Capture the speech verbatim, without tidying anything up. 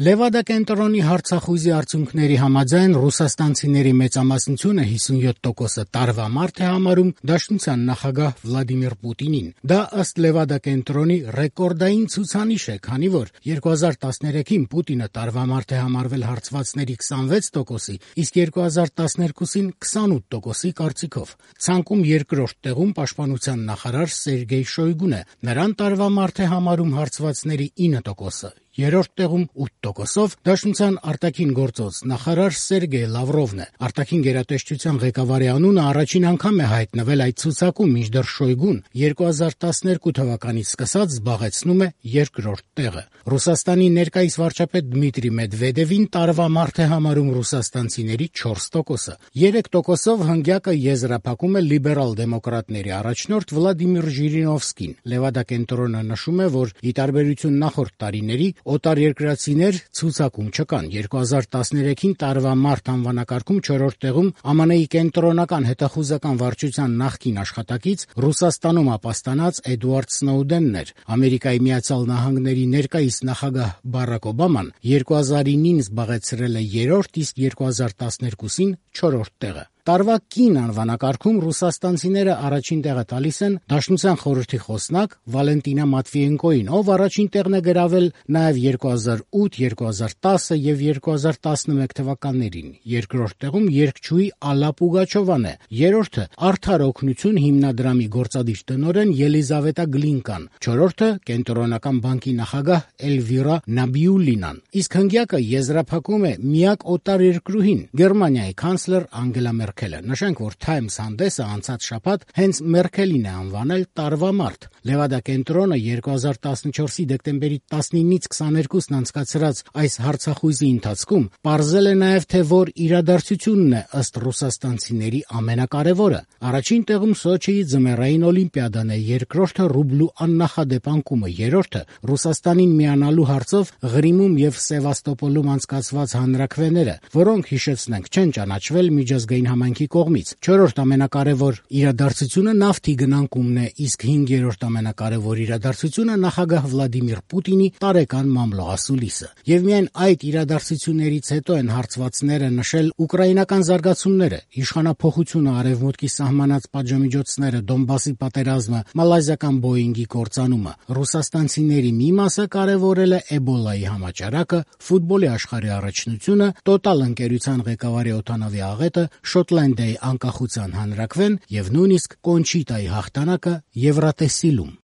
Լևադա կենտրոնի հարցախույզի արդյունքների համաձայն ռուսաստանցիների մեծամասնությունը հիսունյոթ տոկոսը տարվա մարդ է համարում Դաշնության նախագահ Վլադիմիր Պուտինին։ Դա ըստ Լևադա կենտրոնի ռեկորդային ցուցանիշ է, քանի որ երկու հազար տասներեքին Պուտինը տարվա մարդ է համարվել հարցվածների քսանվեց տոկոսի, իսկ երկու հազար տասներկուսին քսանութ տոկոսի կարծիքով։ Ցանկում երկրորդ տեղում պաշտպանության նախարար Սերգեյ Շոյգուն է։ Նրան տարվա մարդ է համարում հարցվածների ինը տոկոսը։ Երրորդ տեղում ութ տոկոսով Դաշնության արտաքին գործոց նախարար Սերգեյ Լավրովն է։ Արտաքին գերատեսչության ղեկավարի անունը առաջին անգամ է հայտնվել այդ ցուցակում, մինչդեռ Շոյգուն երկու հազար տասներկու թվականից սկսած զբաղեցնում է երկրորդ տեղը։ Ռուսաստանի ներկայիս վարչապետ Դմիտրի Մեդվեդևին տարվա մարդ է համարում ռուսաստանցիների չորս տոկոսը։ երեք տոկոսով հնգյակը եզրափակում է լիբերալ դեմոկրատների առաջնորդ Վլադիմիր Ժիրինովսկին։ Լևադա կենտրոնը նշում է, որ ի տարբերություն նախորդ տարիների օտարերկրացիներ ցուցակում չկան։ երկու հազար տասներեքին տարվա մարդ անվանակարգում չորրորդ տեղում Ամն Ի կենտրոնական հետախուզական վարչության նախկին աշխատակից Ռուսաստանում ապաստանած Էդուարդ Սնոուդենն էր։ Ամերիկայի Միացյալ Նահանգների ներկայիս նախագահ Բարակ Օբաման երկու հազարինին զբաղեցրել է երրորդ, իսկ երկու հազար տասներկուսին չորրորդ տեղը։ Տարվա կին անվանակարգում ռուսաստանցիները առաջին տեղը տալիս են Դաշնության խորհրդի խոսնակ Վալենտինա Մատվիենկոին, ով առաջին տեղն է գրավել նաև երկու հազար ութ, երկու հազար տասը եւ երկու հազար տասնմեկ թվականներին։ Երկրորդ տեղում երգչուհի Ալլա Պուգաչովան է, երրորդը Արդար օգնություն հիմնադրամի գործադիր տնօրեն Ելիզավետա Գլինկան, չորրորդը Կենտրոնական բանկի նախագահ Էլվիրա Նաբիուլինան, իսկ հնգյակը եզրափակում է միակ օտարերկրուհին՝ Գերմանիայի կանցլեր Անգելա Մերքելը։ Նշենք, որ Times հանդեսը անցած շաբաթ հենց Մերքելին է անվանել տարվա մարդ։ Լևադա կենտրոնը երկու հազար տասնչորսի դեկտեմբերի տասնինից քսաներկուսն անցկացրած այս հարցախույզի ընթացքում պարզել է նաև, թե որ իրադարձությունն է ըստ ռուսաստանցիների ամենակարևորը։ Առաջին տեղում Սոչիի ձմեռային օլիմպիադան է, երկրորդը ռուբլու աննախադեպ անկումը, երրորդը Ռուսաստանին միանալու հարցով Ղրիմում եւ Սևաստոպոլում անցկացված հանրաքվեները, որոնք, հիշեցնենք, չեն ճանաչվել միջազգային համայնքի կողմից։ Չորրորդ ամենակարևոր իրադարձությունը նավթի գնանկումն է, իսկ հինգերորդ ամենակարևոր իրադարձությունը նախագահ Վլադիմիր Պուտինի տարեկան մամլոասուլիսը։ Եվ միայն այդ իրադարձություններից հետո են հարցվածները նշել ուկրաինական զարգացումները, իշխանափոխությունը, արևմուտքի սահմանած պատժամիջոցները, Դոնբասի պատերազմը, մալազիական Բոյինգի կործանումը։ Ռուսաստանցիների մի մասը կարևորել է Էբոլայի համաճարակը, ֆուտբոլի աշխարհի առաջնությունը, Տոտալ ընկերության ղեկավարի օդանավի աղետը, Շոտլանդիայի անկախության հանրաքվեն եւ նույնիսկ Կոնչիտայի հաղթանակը Եվրատեսիլում։